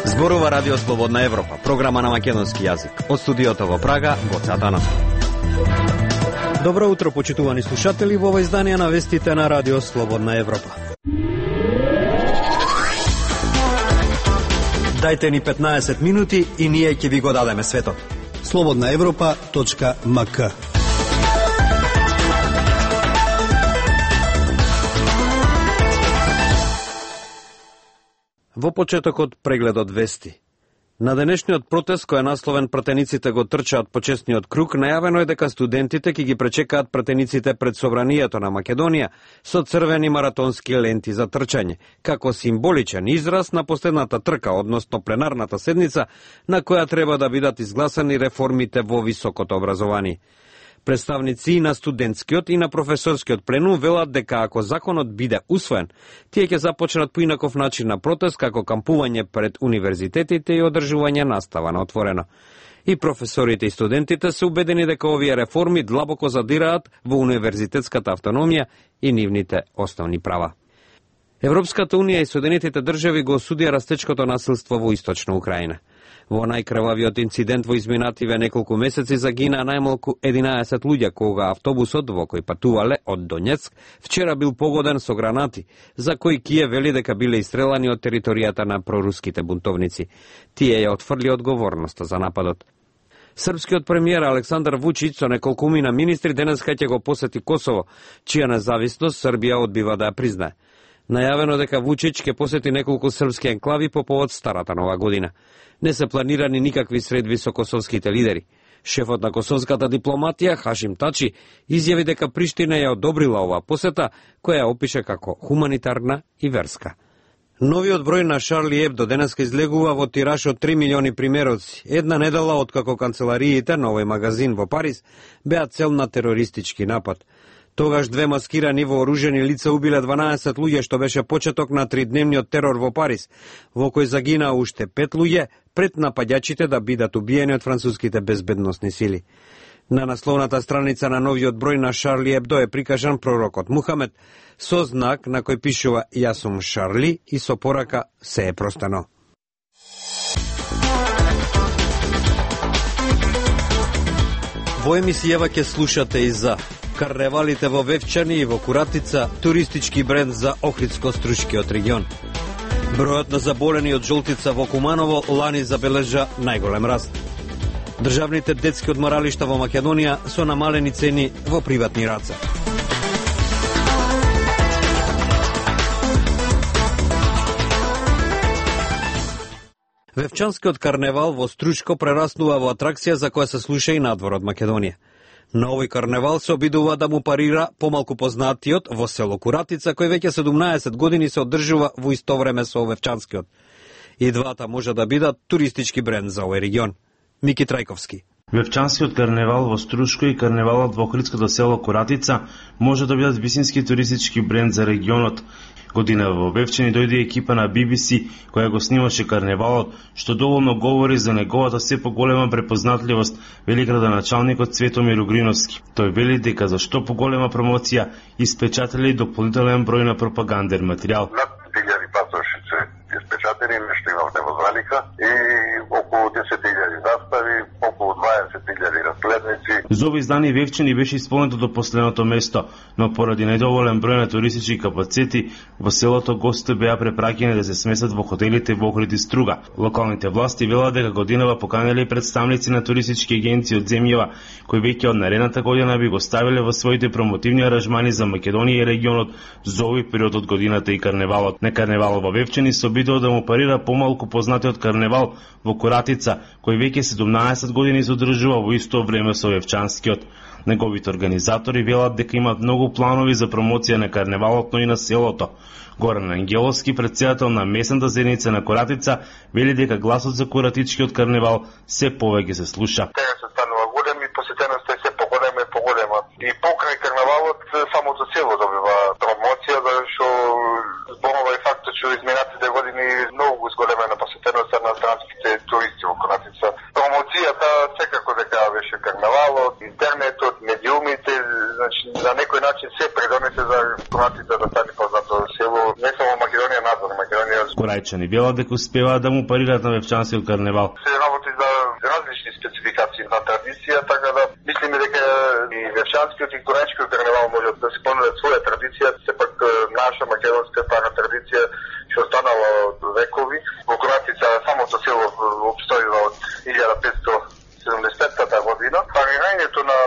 Зборува Радио Слободна Европа, програма на македонски јазик. Од студиото во Прага, Гоце Атанасов. Добро утро, почитувани слушатели, во ова издание на вестите на Радио Слободна Европа. Дајте ни 15 минути и ние ќе ви го дадеме светот. slobodnaevropa.mk. Во почетокот прегледот вести. На денешниот протест кој е насловен "Пратениците го трчаат по честниот круг", најавено е дека студентите ќе ги пречекаат пратениците пред Собранието на Македонија со црвени маратонски ленти за трчање, како символичен израз на последната трка, односно пленарната седница, на која треба да бидат изгласани реформите во високото образование. Представници и на студентскиот и на професорскиот пленум велат дека ако законот биде усвоен, тие ќе започнат поинаков начин на протест, како кампување пред универзитетите и одржување настава на отворено. И професорите и студентите се убедени дека овие реформи длабоко задираат во универзитетската автономија и нивните основни права. Европската унија и Соединетите држави го осудија растечкото насилство во источна Украина. Во најкрвавиот инцидент во изминативе неколку месеци загина најмалку 11 луѓе кога автобусот во кој патувале од Донецк вчера бил погоден со гранати, за кои Киев вели дека биле истрелани од територијата на проруските бунтовници. Тие ја отфрли одговорноста за нападот. Српскиот премиер Александар Вучич со неколкумина министри денеска ќе го посети Косово, чија независност Србија одбива да ја признае. Најавено дека Вучич ќе посети неколку српски енклави по повод старата нова година. Не се планирани никакви средби со косовските лидери. Шефот на косовската дипломатија, Хашим Тачи, изјави дека Приштина ја одобрила оваа посета, која ја опише како хуманитарна и верска. Новиот број на Шарли Ебдо денеска излегува во тираж од 3 милиони примероци, една недела откако канцелариите на овој магазин во Париз беа цел на терористички напад. Тогаш две маскирани вооружени лица убиле 12 луѓе, што беше почеток на тридневниот терор во Париз, во кој загинаа уште 5 луѓе пред напаѓачите да бидат убиени од француските безбедносни сили. На насловната страница на новиот број на Шарли Ебдо е прикажан пророкот Мухамед со знак на кој пишува "Јас сум Шарли" и со порака "Се е простено". Во емисијава ќе слушате и за карневалите во Вевчани и во Куратица, туристички бренд за Охридско-Струшкиот регион. Бројот на заболени од жолтица во Куманово лани забележа најголем раст. Државните детски одморалишта во Македонија со намалени цени во приватни раце. Вевчанскиот карневал во Струшко прераснува во атракција за која се слуша и надвор од Македонија. На овој карневал се обидува да му парира помалку познатиот во село Куратица, кој веќе 17 години се одржува во исто време со Вевчанскиот. И двата може да бидат туристички бренд за овој регион. Мики Трајковски. Вевчанскиот карневал во Струшко и карневалот во охридското село Куратица може да бидат висински туристички бренд за регионот. Година во Вевчани дојде екипа на BBC која го снимаше карневалот, што доволно говори за неговата се поголема препознатливост, вели градоначалникот Цветомир Угриновски. Тој вели дека за што поголема промоција испечатали дополнителен број на пропаганден материјал. Над 1000 пасошици испечатени, нешто имавме во залика и околу 10.000 застави, околу 20.000 разгледници. За овој издание Вевчани беше исполнето до последното место, но поради недоволен број на туристички капацитети во селото гостите беа препраќени да се сместат во хотелите во Охрид и Струга. Локалните власти велат дека годинава поканеле представници на туристички агенции од земјава, кои веќе од наредната година би го ставиле во своите промотивни аранжмани за Македонија и регионот за овој период од годината и карневалот. На карневалот во Вевчани се обидува да му парира помалку познатиот карневал во Куратица, кој веќе 17 години се одржува во исто време со Вевчанскиот. Неговите организатори велат дека имаат многу планови за промоција на карневалот, но и на селото. Горан Ангеловски, председател на местната заедница на Куратица, вели дека гласот за Куратичкиот карневал се повеќе се слуша. Тега се станува голем и посетеноста е се поголема и поголема. И покрај карневалот самото село добива промоција, зашто зборува и фактот што изминатите години многу зголемена посетеноста на странските туристи во Куратица. Промоцијата секако дека беше карневалот, интернетот, медиумите, значи на некој начин се придонесе за куратите да стане познато село, не само Македонија надвор, Македонија. Корајчани велат дека успеваат да му парираат на Вевчанскиот карневал. Се работи за различни спецификации на традиција, така да мислиме дека и Вевчанскиот и Корајчкиот карневал можат да се понудат своја традиција, сепак наша македонска стара традиција што останала од векови. Во Корајчица самото село опстојува од 1575 година. Парирањето на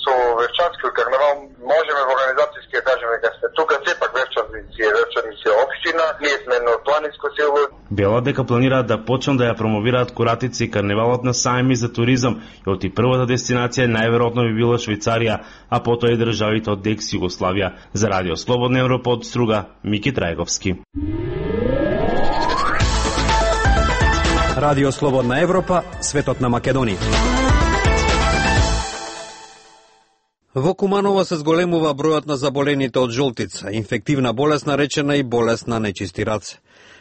со Вевчанскиот карневал можеме во организацијски да кажеме дека сме тука, сепак Вевчаници е општина, ние сме едно планинско село. Велат дека планираат да почнат да ја промовираат Куратица и карневалот на сајми за туризам и од првата дестинација најверојатно би била Швајцарија, а потоа и државите од екс Југославија. За Радио Слободна Европа од Струга, Мики Трајговски. Радио Слободна Европа, светот на Македонија. Во Куманово се зголемува бројот на заболените од жолтица, инфективна болест наречена и болест на нечисти раце.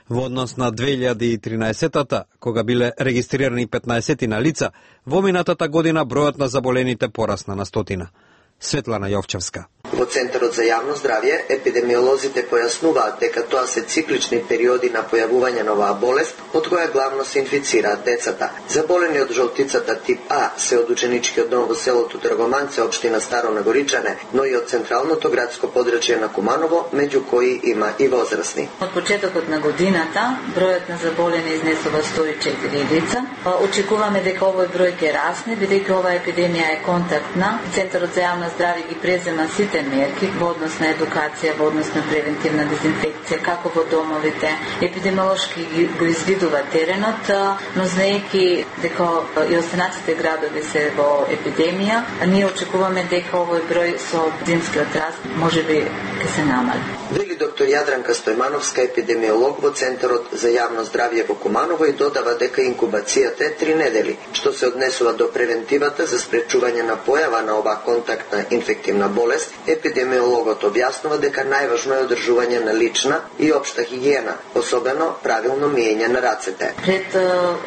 Во однос на 2013-та, кога биле регистрирани 15 на лица, во минатата година бројот на заболените порасна на 100. Светлана Јовчевска. Во Центарот за јавно здравје, епидемиолозите појаснуваат дека тоа се циклични периоди на појавување на оваа болест, од која главно се инфицираат децата. Заболени од жолтицата тип А се од ученичкиот дом во селото Тргоманце, општина Старо Нагоричане, но и од централното градско подрачје на Куманово, меѓу кои има и возрастни. Од почетокот на годината, бројот на заболени изнесува 104 лица. Очекуваме дека овој број ќе расне, бидејќи оваа епидемија е контактна. Центарот за јавно здравје ги презема сите мерки во однос на едукација, во однос на превентивна дезинфекција, како во домовите. Епидемиолошки го извидува теренот, но знаејќи дека и останатите градови се во епидемија, ние очекуваме дека овој број со зимскиот раст можеби ќе се намали. Вели доктор Јадранка Стојмановска, епидемиолог во Центарот за јавно здравје во Куманово, и додава дека инкубацијата е 3 недели, што се однесува до превентивата за спречување на појава на оваа контактна инфективна болест. Епидемиологот објаснува дека најважно е одржување на лична и општа хигиена, особено правилно миење на рацете. Пред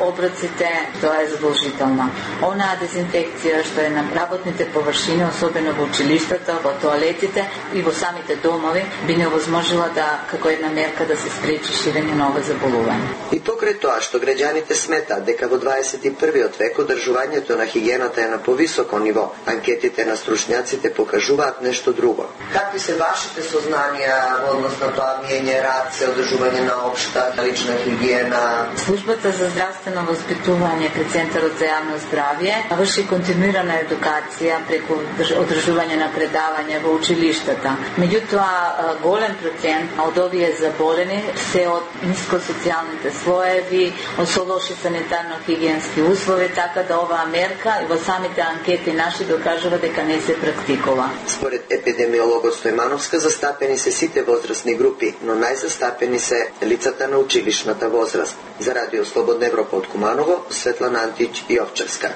обраците тоа е задолжително. Онаа дезинфекција што е на работните површини, особено во училиштата, во тоалетите и во самите домови, би не овозможила да, како една мерка, да се спречи ширење на овој заболување. И покрај тоа што граѓаните сметаат дека во 21 век одржувањето на хигиената е на повисоко ниво, анкетите на стручњаците покажуваат нешто друго. Какви се вашите сознанија во однос на тоа миење раце, одржување на општа лична хигиена? Службата за здравствено воспитување при Центарот за јавно здравје врши континуирана едукација преку одржување на предавања во училиштата. Меѓутоа, голем процент од овие заболени се од ниско социјалните слоеви, од со лоши санитарно-хигиенски услови, така да оваа мерка и во самите анкети наши докажува дека не се практикува. Според епидемиологот Стојмановска, застапени се сите возрастни групи, но најзастапени се лицата на училишната возраст. За Радио Слободна Европа од Куманово, Светлана Антич и Овчевска.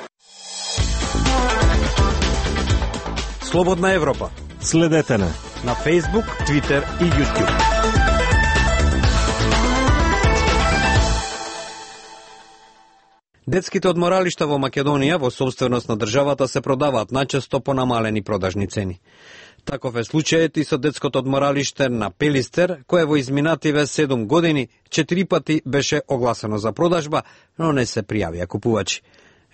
Слободна Европа. Следете на Facebook, Twitter и YouTube. Детските одморалишта во Македонија во собственост на државата се продаваат најчесто по намалени продажни цени. Таков е случајот и со детското одморалиште на Пелистер, кое во изминативе 7 години 4 пати беше огласено за продажба, но не се пријавија купувачи.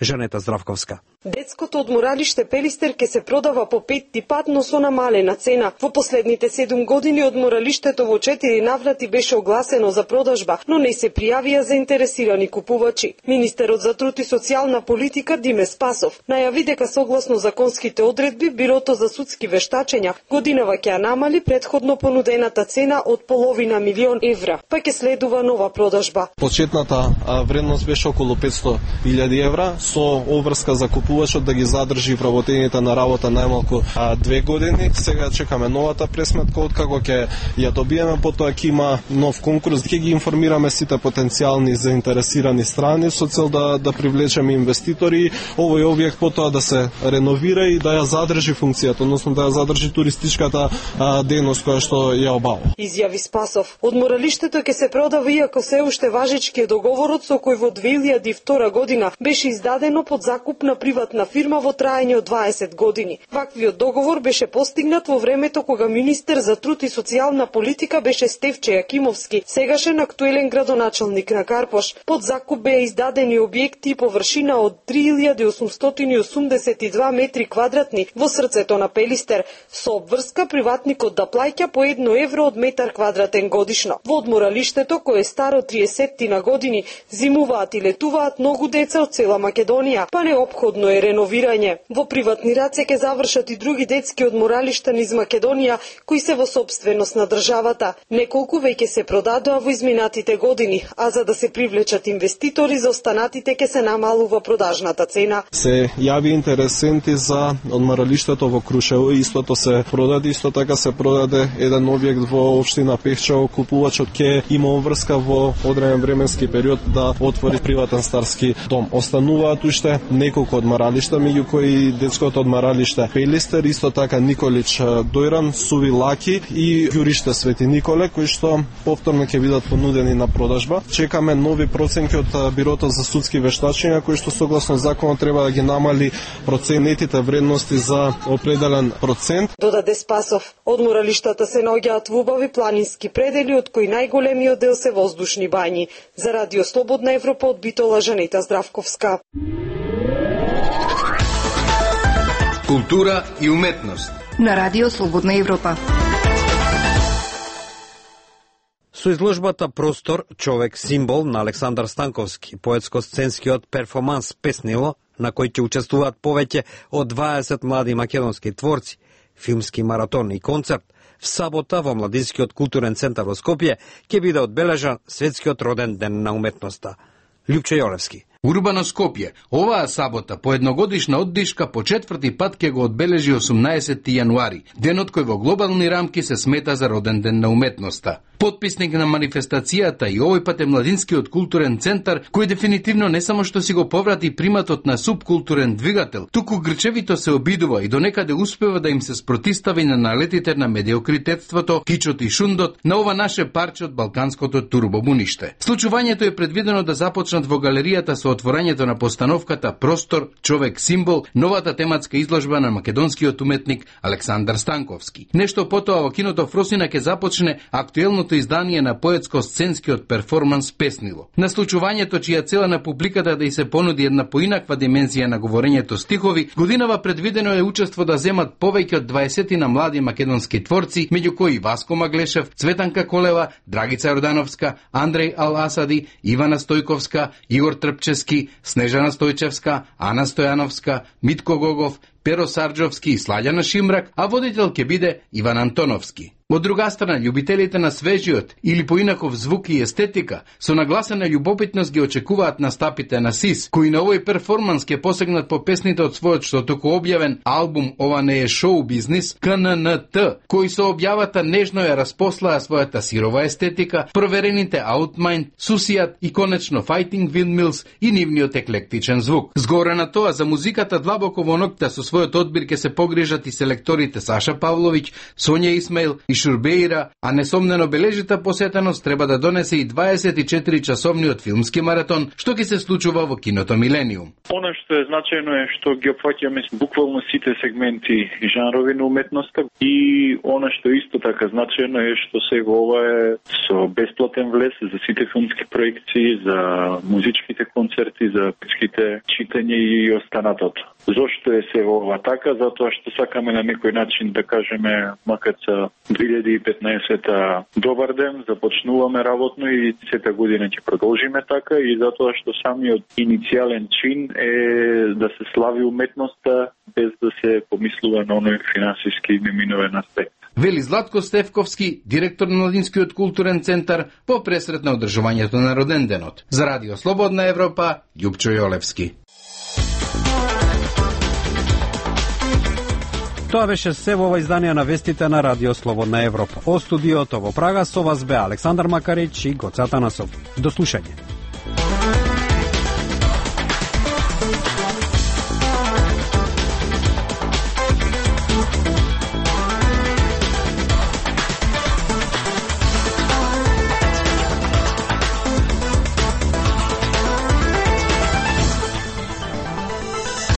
Жанета Здравковска. Детското одморалиште Пелистер ке се продава по 5 пат, но со намалена цена. Во последните 7 години одморалиштето во 4 наврати беше огласено за продажба, но не се пријавија заинтересирани купувачи. Министерот за труд и социјална политика Диме Спасов најави дека согласно законските одредби Бирото за судски вештачења годинава ќе намали претходно понудената цена од $500 000, па ќе следува нова продажба. Почетната вредност беше околу €500,000 со обврска за купувачот да ги задржи вработените на работа најмалку 2 години. Сега чекаме новата пресметка, откако ќе ја добиеме, потоа ќе има нов конкурс, ќе ги информираме сите потенцијални заинтересирани страни со цел да привлечеме инвеститори, овој објект потоа да се реновира и да ја задржи функцијата, односно да ја задржи туристичката дејност која што ја обавува. Изјави Спасов. Одморалиштето ќе се продава иако се уште важечки договорот со кој во 2002 година беше издадено под закуп на приватна приватна фирма во траење од 20 години. Ваквиот договор беше постигнат во времето кога министер за труд и социјална политика беше Стефче Јакимовски, сегашен актуелен градоначалник на Карпош. Под закуп беа издадени објекти и површина од 3882 метри квадратни во срцето на Пелистер, со обврска приватникот да плаќа по 1 евро од метар квадратен годишно. Во одморалиштето, кое е старо 30 на години, зимуваат и летуваат многу деца од цела Македонија, па неопходно е реновирање. Во приватни раце ќе завршат и други детски одморалишта низ Македонија, кои се во собственост на државата. Неколку веќе се продадоа во изминатите години, а за да се привлечат инвеститори, за останатите ќе се намалува продажната цена. Се јави интересенти за одморалиштето во Крушево, истото се продаде, исто така се продаде еден објект во општина Пехчево. Купувачот ќе има врска во одреден временски период да отвори приватен старски дом. Остануваат уште неколку одморалишта, меѓу кои детското одморалиште Пелистер, исто така Николич Дојран, Суви Лаки и Ѓуриште Свети Николе, кои што повторно ќе бидат понудени на продажба. Чекаме нови проценки од Бирото за судски вештачења, кои што согласно законот треба да ги намали проценетите вредности за определен процент. Додаде Спасов. Одморалиштата се наоѓаат во убави планински предели, од кои најголемиот дел се воздушни бањи. За Радио Слободна Европа од Битола, Жанета Здравковска. Култура и уметност на Радио Слободна Европа. Со изложбата Простор, човек символ на Александар Станковски, поетско-сценскиот перформанс Песнило, на кој ќе учествуваат повеќе од 20 млади македонски творци, филмски маратон и концерт, в сабота во Младинскиот културен центар во Скопје ќе биде одбележан Светскиот роден ден на уметноста. Лјупче Јолевски. Урбано Скопје, оваа сабота по едногодишна оддишка по четврти пат ќе го одбележи 18 јануари, денот кој во глобални рамки се смета за роден ден на уметноста. Потписник на манифестацијата и овој пат е Младинскиот културен центар, кој дефинитивно не само што си го поврати приматот на субкултурен двигател, туку грчевито се обидува и донекаде успева да им се спротистави на налетите на медиокритетството, кичот и шундот на ова наше парче од балканското турбобуниште. Случувањето е предвидено да започнат во галеријата со отворањето на постановката Простор, човек символ, новата тематска изложба на македонскиот уметник Александар Станковски. Нешто потоа во киното Фросина ќе започне актуелното издание на поетско-сценскиот перформанс Песнило. На случувањето, чија цела на публиката да и се понуди една поинаква димензија на говорењето стихови, годинава предвидено е учество да земат повеќе од 20 на млади македонски творци, меѓу кои Васко Маглешев, Цветанка Колева, Драгица Јордановска, Андреј Ал-Асади, Ивана Стојковска, Игор Трпчевски, Снежана Стојчевска, Ана Стојановска, Митко Гогов, Перо Сарджовски и Сладјана Шимрак, а водител ќе биде Иван Антоновски. Од друга страна, љубителите на свежиот или поинаков звук и естетика со нагласена љубопитност ги очекуваат настапите на СИС, кои на овој перформанс ќе посегнат по песните од својот што току објавен албум Ова не е шоу бизнис, КННТ, кои со објавата нежно ја распослаа својата сирова естетика, проверените Outmind, Сусијат и конечно Fighting Windmills и нивниот еклектичен звук. Згоре на тоа, за музиката длабоко во ноќта со својот одбир ќе се погрижат и селекторите Саша Павловиќ, Сонја Исмаил и Шурбеира, а несомнено бележита посетеност треба да донесе и 24-часовниот филмски маратон, што ќе се случува во киното Милениум. Она што е значајно е што ги опфаќаме буквално сите сегменти и жанрови на уметноста, и она што исто така значајно е што сега ова е со бесплатен влез за сите филмски проекции, за музичките концерти, за пичките читање и останатото. Зошто е се ова така? Затоа што сакаме на некој начин да кажеме, макар за 2015 добар ден, започнуваме работно и сета година ќе продолжиме така, и затоа што самиот иницијален чин е да се слави уметноста без да се помислува на оној финансиски неминовен аспект. Вели Златко Стефковски, директор на Младинскиот културен центар, по пресрет на одржувањето на роден денот. За Радио Слободна Европа, Љупчо Јолевски. Тоа беше се во ова издание на вестите на Радио Слободна Европа. О студиото во Прага со вас бе Александар Макарич и Гоце Атанасов. До слушање.